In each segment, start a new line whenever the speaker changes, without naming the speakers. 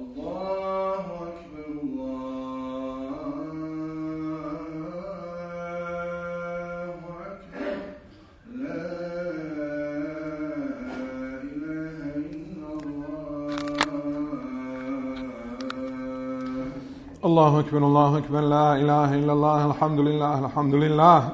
الله أكبر الله أكبر لا إله إلا الله الحمد لله الحمد لله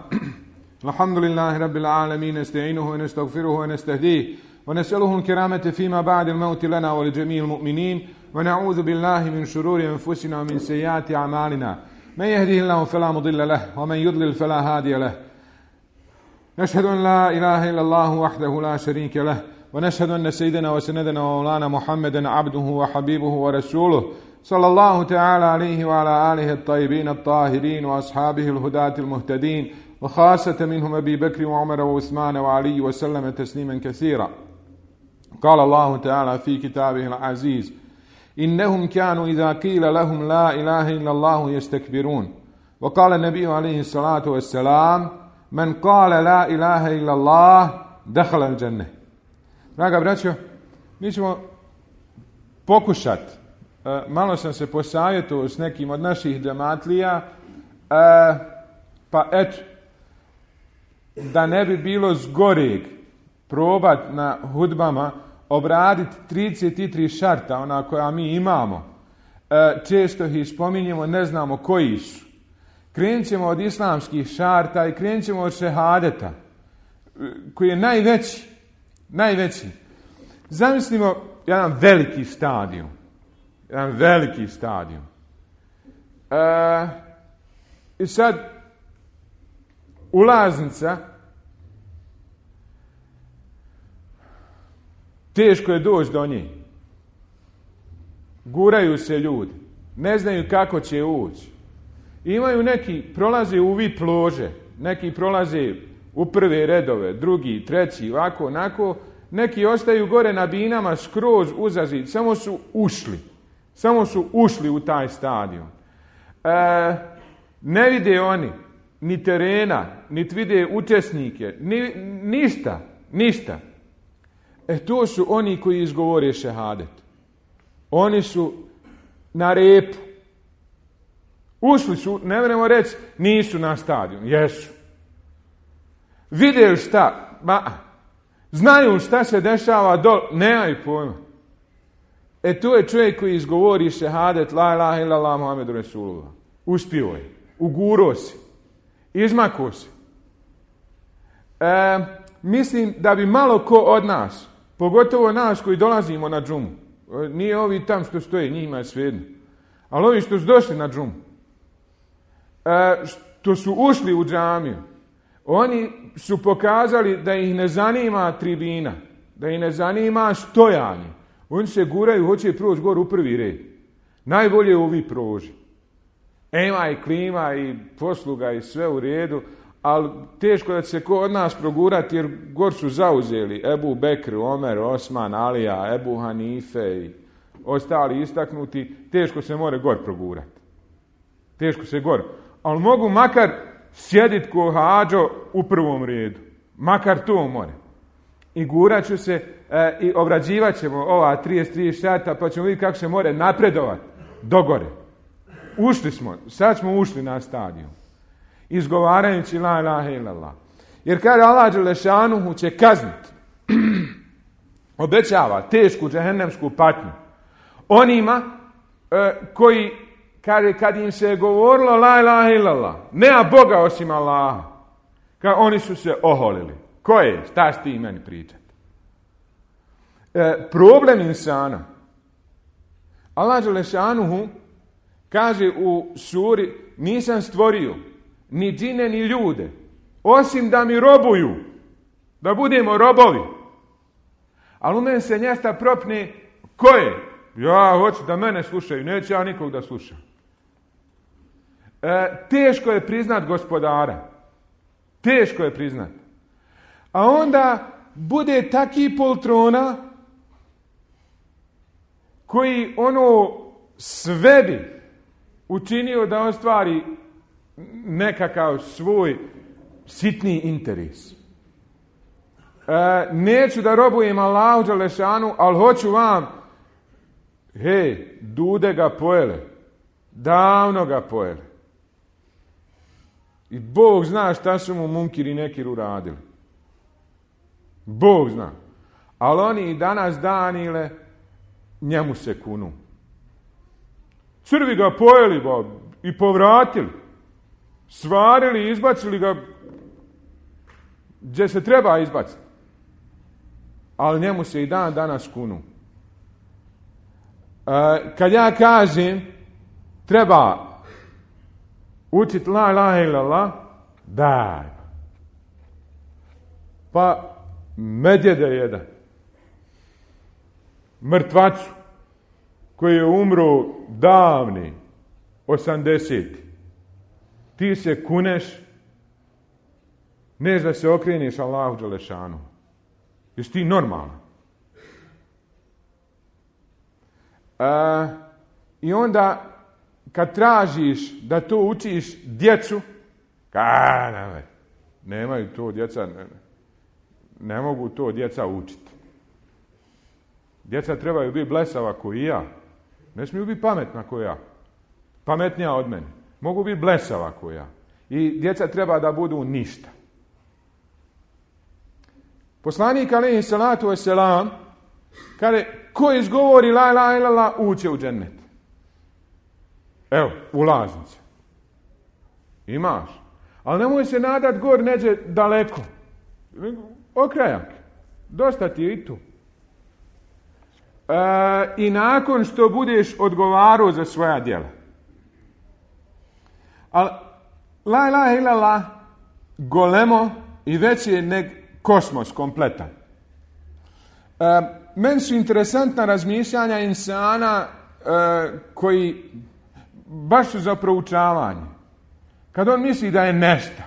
الحمد لله رب العالمين نستعينه ونستغفره ونستهديه ونسأله الكرامة فيما بعد الموت لنا ولجميع المؤمنين ونعوذ بالله من شرور أنفسنا ومن سيئات أعمالنا من يهده الله فلا مضل له ومن يضلل فلا هادي له نشهد أن لا إله إلا الله وحده لا شريك له ونشهد أن سيدنا وسندنا ومولانا محمدا عبده وحبيبه ورسوله صلى الله تعالى عليه وعلى آله الطيبين الطاهرين وأصحابه الهداة المهتدين وخاصة منهم أبي بكر وعمر وعثمان وعلي وسلم تسليما كثيرا. قال الله تعالى في كتابه العزيز إنهم كانوا إذا قيل لهم لا إله إلا الله يستكبرون. وقال النبي عليه الصلاة والسلام من قال لا إله إلا الله دخل الجنة. Draga braćo, mi ćemo pokušati, malo sam se posavjetovao s nekim od naših džematlija, pa eto, da ne bi bilo zgoreg probat na hudbama obraditi 33 šarta, ona koja mi imamo. Često ih spominjemo, ne znamo koji su. Krenut ćemo od islamskih šarta i krenut ćemo od šehadeta, koji je najveći. Zamislimo jedan veliki stadion. I sad ulaznica, teško je doći do nje. Guraju se ljudi, ne znaju kako će ući. Imaju neki, prolaze u VIP lože, neki prolaze u prve redove, drugi, treći, ovako, onako. Neki ostaju gore na binama skroz uzazid, samo su ušli u taj stadion. Ne vide oni ni terena, niti vide učesnike, ništa. To su oni koji izgovore šehadet. Oni su na repu. Ušli su, ne možemo reći, nisu na stadion, jesu. Vide šta, znaju šta se dešava dol, nemaju pojma. To je čovjek koji izgovori šehadet la ilaha illallah Muhammedu Resulullah. Uspio je, uguro se, izmako se. Mislim da bi malo ko od nas, pogotovo nas koji dolazimo na džumu, nije ovi tam što stoje, njima je svejedno, ali ovi što su došli na džumu, što su ušli u džamiju, oni su pokazali da ih ne zanima tribina, da ih ne zanima stojanje. Oni se guraju, hoće proći gore u prvi red. Najbolje je ovi proži. Ima i klima i posluga i sve u redu, ali teško da će se ko od nas progurati jer gor su zauzeli Ebu Bekr, Omer, Osman, Alija, Ebu Hanife i ostali istaknuti. Teško se more gor progurati. Teško se gor. Ali mogu makar sjedit ko hađo u prvom redu. Makar to more. I gurat ću se i obrađivat ćemo ova 33 šarta pa ćemo vidjeti kako se more napredovati dogore. Ušli smo, sad smo ušli na stadion. Izgovarajući la ilaha illallah. Jer kada Allah dželešanuhu će kazniti, obećava tešku džehennemsku patnju onima koji kad im se govorilo la ilaha illallah, nema Boga osim Allaha, oni su se oholili. Ko je? Šta si ti meni pričati? Problem insana. Allah dželešanuhu kaže u suri nisam stvorio ni džine ni ljude osim da mi robuju, da budemo robovi. Ali u meni se njesta propne ko je? Ja hoću da mene slušaju, neću ja nikog da slušam. Teško je priznat gospodara. Teško je priznat. A onda bude taki poltrona koji sve bi učinio da ostvari nekakav svoj sitni interes. Neću da robujem Allahu dželešanu, ali hoću vam Hej, dude ga pojele. Davno ga pojele. I Bog zna šta su mu Munkir i Nekir uradili. Bog zna. Ali oni i danas Danile njemu se kunu. Crvi ga pojeli i povratili. Svarili i izbacili ga gdje se treba izbaciti. Ali njemu se i dan danas kunu. Kad ja kažem treba učiti la ilaha illallah, daj. Pa medjede jedan. Mrtvacu koji je umro davni 80. Ti se kuneš, neš da se okreniš Allahu dželešanu. Jesi ti normalan? I onda kad tražiš da to učiš djecu, nemaju to djeca, ne mogu to djeca učiti. Djeca trebaju biti blesava ko i ja. Ne smiju biti pametna ko ja. Pametnija od mene. Mogu biti blesava ko ja. I djeca treba da budu ništa. Poslanik alejhi salatu vesselam kaže, ko izgovori la ilaha illallah uće u džennet. Evo, ulaznice. Imaš. Ali nemoj se nadat gor neđe daleko. Okrajak. Dosta ti je i tu. I nakon što budeš odgovarao za svoja djela. Ali la ilaha illallah golemo i već je nek kosmos kompletan. Meni su interesantna razmišljanja insana koji baš su za proučavanje. Kad on misli da je nešto.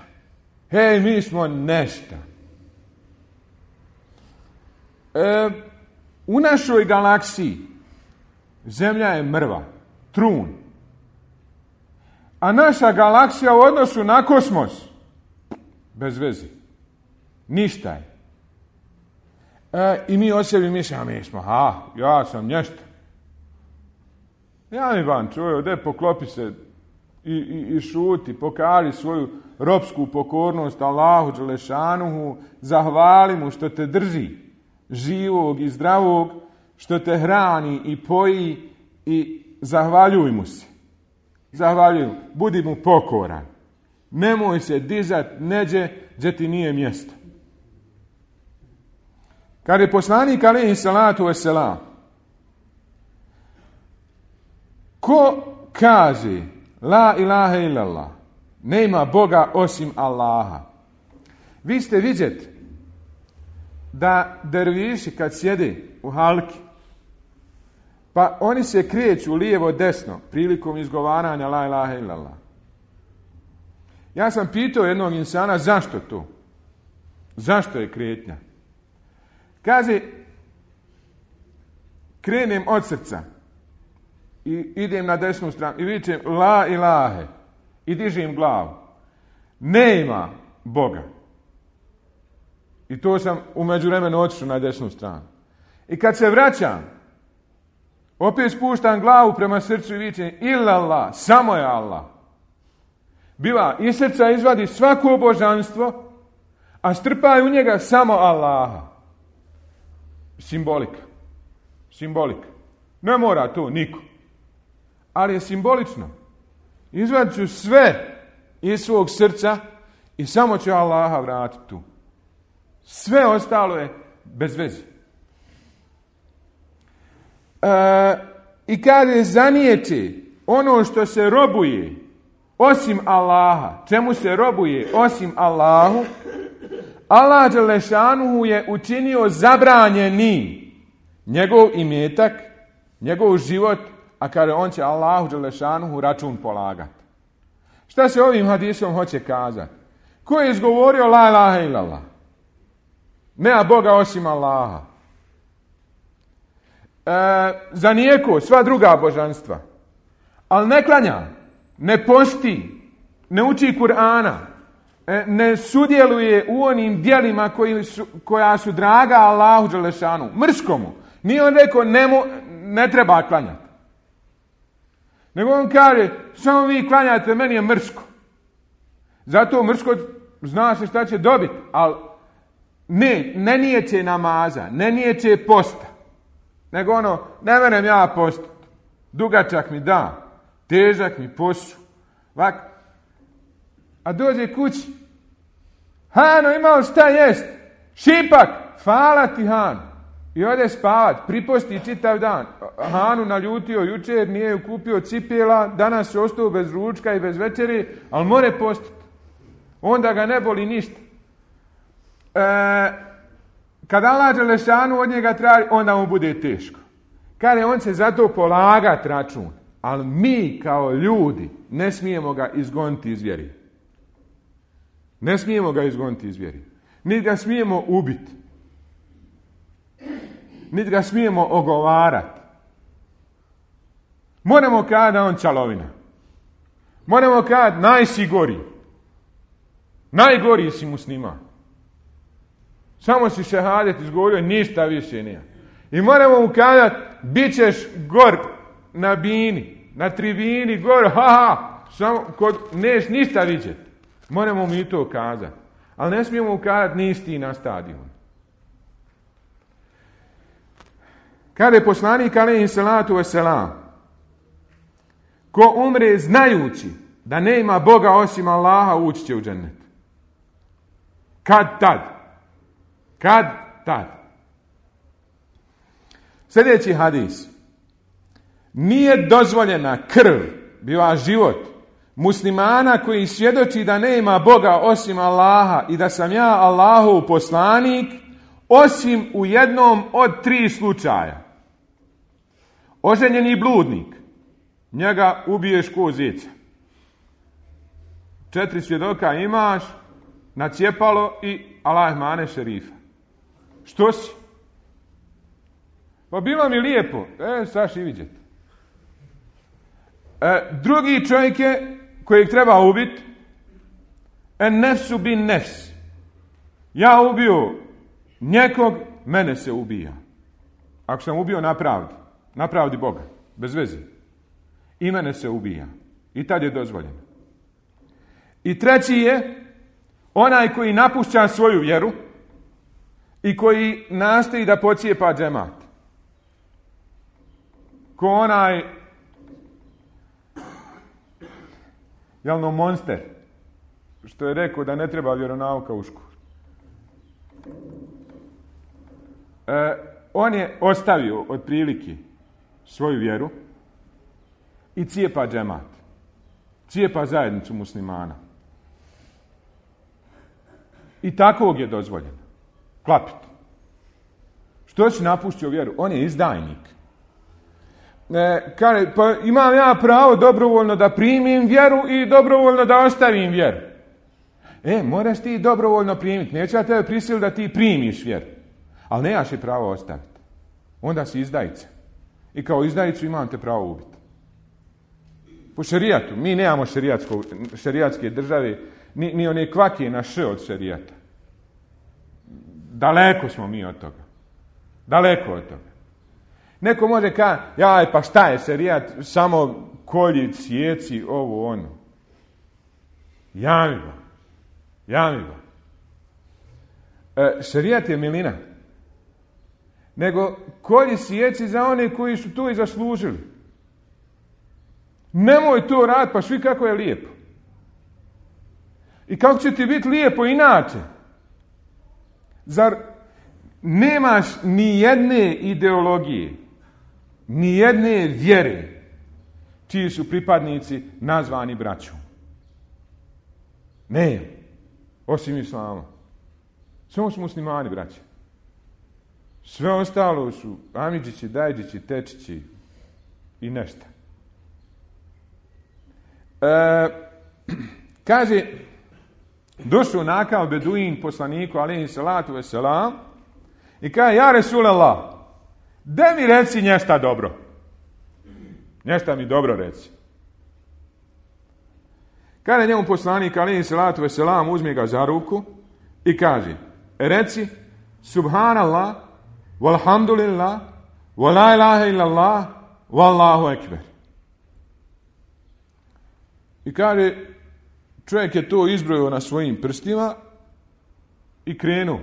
Hej, mi smo nešto. U našoj galaksiji Zemlja je mrva, trun. A naša galaksija u odnosu na kosmos bez veze. Ništa je. I mi o sebi mislimo, mi smo, ja sam nešto. Ja mi ban čuju, ode poklopi se i šuti, pokaži svoju ropsku pokornost Allahu dželešanuhu, zahvali mu što te drži živog i zdravog, što te hrani i poji i zahvaljuj mu se. Zahvaljuj mu, budi mu pokoran. Nemoj se dizat neđe gdje ti nije mjesto. Kad je poslanik alejhi salatu vesselam, ko kaže la ilaha illallah, nema Boga osim Allaha. Vi ste vidjeti da derviši kad sjede u halki, pa oni se kreću lijevo desno prilikom izgovaranja la ilaha illallah. Ja sam pitao jednog insana zašto to? Zašto je kretnja? Kaže, krenem od srca i idem na desnu stranu i vičem la ilahe i dižem glavu. Nema Boga. I to sam u međuvremenu otišao na desnu stranu. I kad se vraćam, opet spuštam glavu prema srcu i vičem illallah, samo je Allah. Biva, iz srca izvadi svako božanstvo, a strpaj u njega samo Allaha. Simbolika. Ne mora to niko. Ali je simbolično. Izvadit ću sve iz svog srca i samo ću Allaha vratiti tu. Sve ostalo je bez veze. I kada zanijeći ono što se robuje osim Allaha, čemu se robuje osim Allahu, Allah dželešanuhu je učinio zabranjenim njegov imetak, njegov život, a kada on će Allahu dželešanuhu račun polagati. Šta se ovim hadisom hoće kazati? Ko je izgovorio la ilaha illallah? Nema Boga osim Allaha. Zanijeko sva druga božanstva. Ali ne klanja, ne posti, ne uči Kur'ana, ne sudjeluje u onim djelima koja su draga Allahu dželešanu, mrskomu. Nije on rekao ne treba klanjati. Nego on kaže, samo vi klanjate, meni je mrsko. Zato mrsko zna se šta će dobiti, ali ne nijeće namaza, ne nijeće posta. Nego ono, ne menem ja postati. Dugačak mi da, težak mi posu. Ovako. A dođe kući. Hano, imao šta jest? Šipak, hvala ti Hano. I ode spavat, priposti čitav dan. Hanu naljutio jučer, nije ju kupio cipjela, danas je ostao bez ručka i bez večeri, ali more postati. Onda ga ne boli ništa. Kad Allah Đelešanu od njega traži, onda mu bude teško. Kaže, on će zato polagat račun. Ali mi kao ljudi ne smijemo ga izgoniti iz vjeri. Ne smijemo ga izgoniti iz vjeri. Niti ga smijemo ubiti. Niti ga smijemo ogovarati. Moramo kada da on čalovina. Moramo kada najsi gori. Najgori si musliman. Samo si šehadet izgovorio, ništa više nije. I moramo mu kazati, bit ćeš gor na bini, na tribini, gor, samo neš ništa vidjeti. Moramo mi to kazati. Ali ne smijemo mu kazati, nisi ti na stadionu. Kada je poslanik alejhi salatu vesselam, ko umre znajući da nema Boga osim Allaha, ući će u džennet. Kad tad. Sljedeći hadis. Nije dozvoljena krv, biva život, muslimana koji svjedoči da nema Boga osim Allaha i da sam ja Allahov poslanik, osim u jednom od 3 slučaja. Oženjeni bludnik, njega ubiješ ko zeca. 4 svjedoka imaš, nacijepalo i Allah mane šerifa. Što si? Pa bilo mi lijepo. Saš i vidjeti. Drugi čovjek je, kojeg treba ubiti, nefsu bin nefs. Ja ubio nekog, mene se ubija. Ako sam ubio na pravdi Boga, bez veze. I mene se ubija. I tad je dozvoljeno. I treći je onaj koji napušća svoju vjeru i koji nastoji da pocijepa džemat. Ko onaj jelno monster što je rekao da ne treba vjeronauka u školu. On je ostavio otprilike svoju vjeru i cijepa džemat. Cijepa zajednicu muslimana. I takvog je dozvoljeno. Klapiti. Što si napuštio vjeru? On je izdajnik. Pa imam ja pravo dobrovoljno da primim vjeru i dobrovoljno da ostavim vjeru. Moraš ti dobrovoljno primiti. Neće ja tebe prisiliti da ti primiš vjeru. Ali nemaš je pravo ostaviti. Onda si izdajica. I kao izdajicu imam te pravo ubiti. Po šerijatu. Mi nemamo šerijatske države, ni one kvake na š od šerijata. Daleko smo mi od toga. Daleko od toga. Neko može kazati, pa šta je šerijat, samo kolji, cijeci, ovo, ono. Jamiva. Šerijat je milina. Nego kolji, cijeci za one koji su to i zaslužili. Nemoj to raditi, pa svi kako je lijepo. I kako će ti biti lijepo inače? Zar nemaš ni jedne ideologije, ni jedne vjere, čiji su pripadnici nazvani braćom? Ne, osim islama. Samo su muslimani, braće. Sve ostalo su amidžići, dajđići, tečići i nešto. Kaže, došao nakav beduin poslaniku alejhi salatu vesselam i kaže, ja Resulallah, da mi reci nešto dobro. Nešto mi dobro reci. Kaže njemu poslanik alejhi salatu vesselam, uzme ga za ruku i kaže, reci subhanallah, walhamdulillah, wa la ilaha illallah, wallahu ekber. I kaže, čovjek je to izbrojio na svojim prstima i krenuo.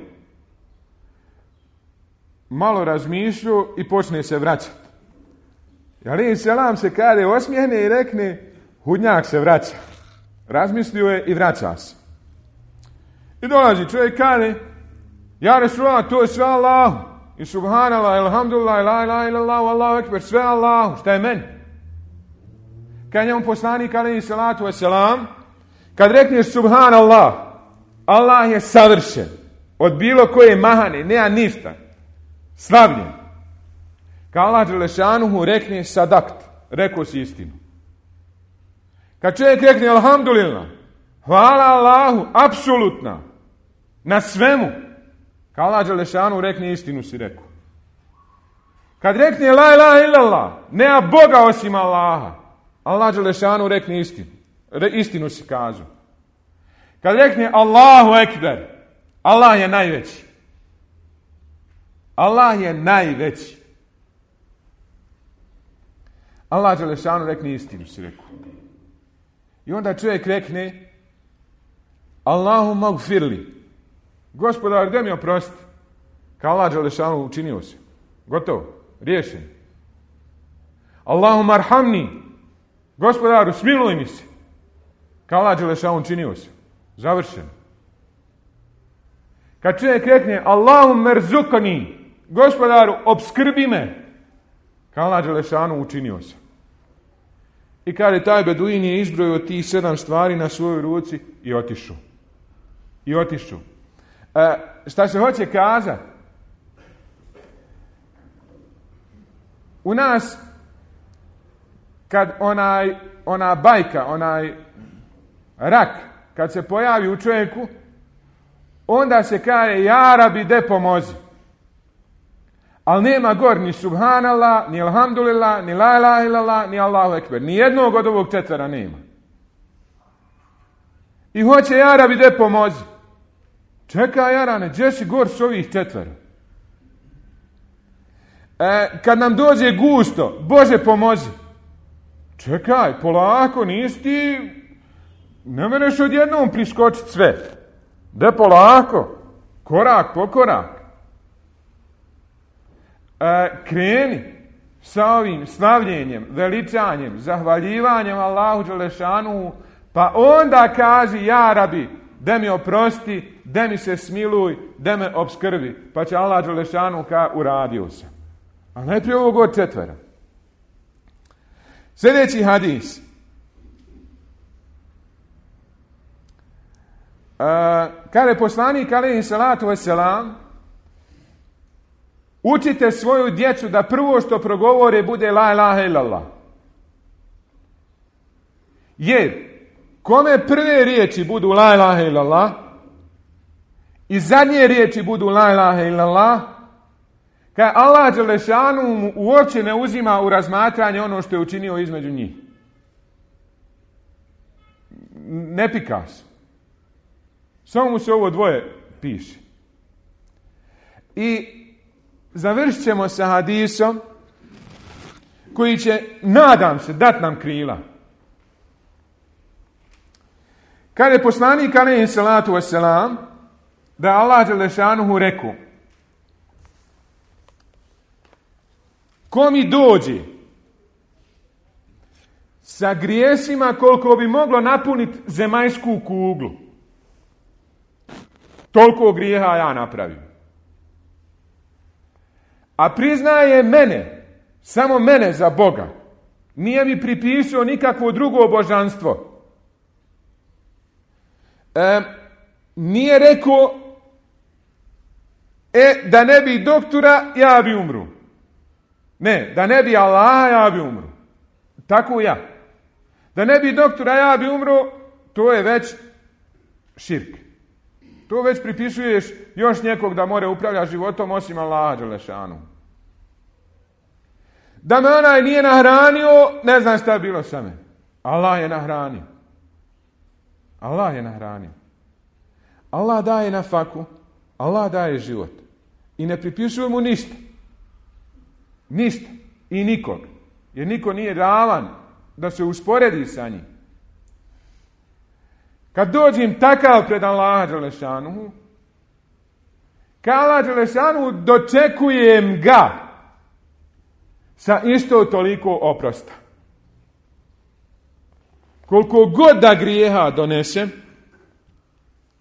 Malo razmišljao i počne se vraćati. Alejhi selam se kaže, osmijehne i rekne, hudnjak se vraća. Razmislio je i vraća se. I dolazi čovjek, kaže, ja Resulullah, to je sve Allahu. I subhanallah, alhamdulillah, la ilaha illallah, Allahu ekber, sve Allahu. Šta je meni? Kad njemu poslanik, alejhi salatu vesselam, kad rekneš subhanallah, Allah je savršen. Od bilo koje mahane, nema ništa. Slavljen. Kad Allah dželešanuhu rekne sadakt, rekao si istinu. Kad čovjek rekne alhamdulillah, hvala Allahu, apsolutna, na svemu, kad Allah dželešanuhu rekne istinu si rekao. Kad rekne la ilaha illallah, nema Boga osim Allaha, Allah dželešanuhu rekne istinu. Istinu si kažu. Kad rekne Allahu ekber, Allah je najveći. Allah je najveći. Allah dželešanu rekne istinu si rekao. I onda čovjek rekne Allahumma gfirli. Gospodar, gdje mi oprosti? Kao Allah dželešanu učinio se. Gotovo. Riješen. Allahumma arhamni. Gospodaru, smiluj mi se. Kao Allah dželešanu učinio se. Završen. Kad čovjek rekne Allahumma erzukani. Gospodaru, obskrbi me. Kao Allah dželešanu učinio se. I kaže, taj beduin je izbrojio tih 7 stvari na svojoj ruci i otišao. I otišao. Šta se hoće kazati? U nas, kad ona bajka, onaj rak, kad se pojavi u čovjeku, onda se kaže, ja rabi, de pomozi. Ali nema gor ni subhanallah, ni alhamdulillah, ni la ilaha illallah, ni Allahu ekber. Ni jednog od ovog 4 nema. I hoće, ja rabi, de pomozi. Čekaj, jarane, gdje si gor s ovih 4? Kad nam dođe gusto, Bože pomozi. Čekaj, polako, nisi ti, ne mereš odjednom priskočiti sve. De polako, korak po korak. Kreni sa ovim slavljenjem, veličanjem, zahvaljivanjem Allahu dželešanu, pa onda kaži, ja rabi, da mi oprosti, da mi se smiluj, da me obskrbi. Pa će Allah dželešanu uradio sam. A najprije ovog od 4. Sljedeći hadis. Kada je poslanik alejhi salatu vesselam, učite svoju djecu da prvo što progovore bude la ilaha illallah. Jer kome prve riječi budu la ilaha illallah i zadnje riječi budu la ilaha illallah, kad Allah dželešanu mu uopće ne uzima u razmatranje ono što je učinio između njih. Ne pika se. Samo mu se ovo dvoje piše. I završit ćemo sa hadisom koji će, nadam se, dat nam krila. Kad je poslanik alejhi salatu vesselam, da Allah dželešanuhu rekao, ko mi dođe sa grijesima koliko bi moglo napuniti zemaljsku kuglu, toliko grijeha ja napravim. A priznaje mene, samo mene za Boga. Nije mi pripisao nikakvo drugo božanstvo. Nije rekao, da ne bi doktora, ja bi umru. Ne, da ne bi Allaha, ja bi umru. Tako ja. Da ne bi doktora, ja bi umru, to je već širk. To već pripisuješ još nekog da more upravlja životom osim Allaha dželešanu. Da me onaj nije nahranio, ne znam šta je bilo sa me. Allah je nahranio. Allah je nahranio. Allah daje nafaku, Allah daje život. I ne pripisuje mu ništa. Ništa. I nikog. Jer niko nije ravan da se usporedi sa njim. kad dođem takav pred Allaha dželešanuhu, kad Allah dželešanuhu dočekujem ga sa isto toliko oprosta. Koliko god da grijeha donesem,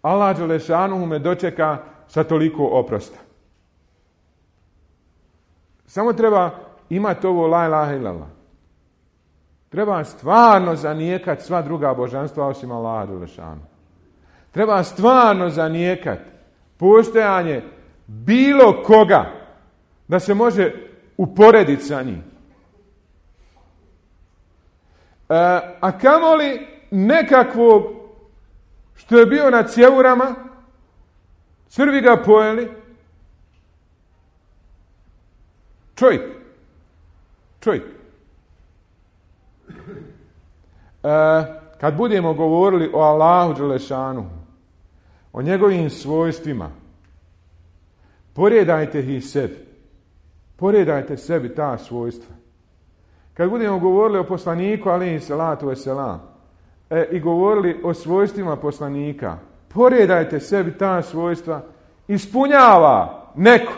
Allah dželešanuhu me dočeka sa toliko oprosta. Samo treba imati ovo la ilaha illallah. Treba stvarno zanijekati sva druga božanstva osim Allaha dželešanuhu. Treba stvarno zanijekati postojanje bilo koga da se može uporediti sa njim. A kamoli nekakvog što je bio na cjevurama, crvi ga pojeli, čovjek. Kad budemo govorili o Allahu dželešanuhu, o njegovim svojstvima, poredajte ih sebi. Poredajte sebi ta svojstva. Kad budemo govorili o poslaniku, alejhi salatu vesselam, i govorili o svojstvima poslanika, poredajte sebi ta svojstva. Ispunjava neko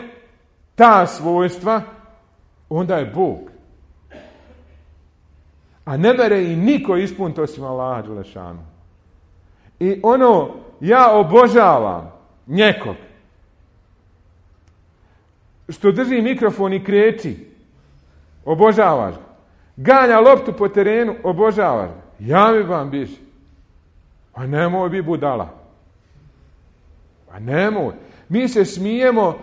ta svojstva, onda je Bog. A ne mere i niko ispuniti osim Allaha dželešanu. I ja obožavam nekog što drži mikrofon i kreći, obožavaš ga. Ganja loptu po terenu, obožavaš ga. Ja mi vam biži. Pa nemoj bi budala. Pa nemoj. Mi se smijemo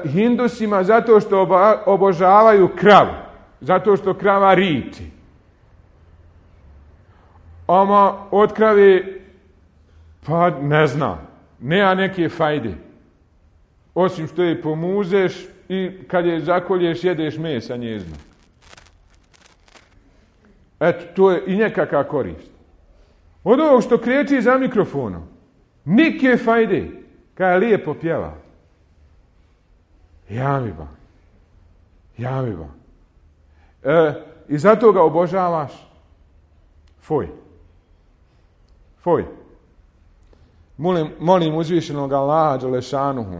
Hindusima zato što obožavaju kravu. Zato što krava riči. Ama od krave, pa ne znam, nema neke fajde. Osim što je pomuzeš i kad je zakolješ, jedeš mesa njezno. Eto, to je i nekakva korist. Od ovog što kreći za mikrofonom, nike fajde, kada je lijepo pjeva. Ja mi ba. I zato ga obožavaš. Foj. Molim uzvišenog Allaha dželešanuhu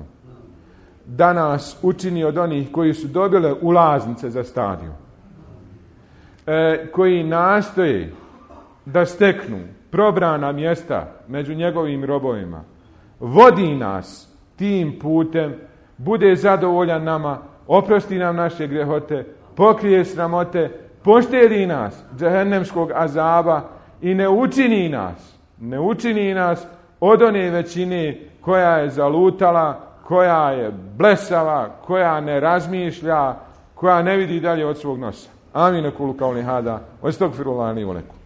da nas učini od onih koji su dobile ulaznice za stadion, koji nastoje da steknu probrana mjesta među njegovim robovima, vodi nas tim putem, bude zadovoljan nama, oprosti nam naše grehote, pokrije sramote, poštedi nas džehennemskog azaba i ne učini nas od one većine koja je zalutala, koja je blesava, koja ne razmišlja, koja ne vidi dalje od svog nosa. Amin. Kulu kauli hada. Estagfirullaha li wa lakum.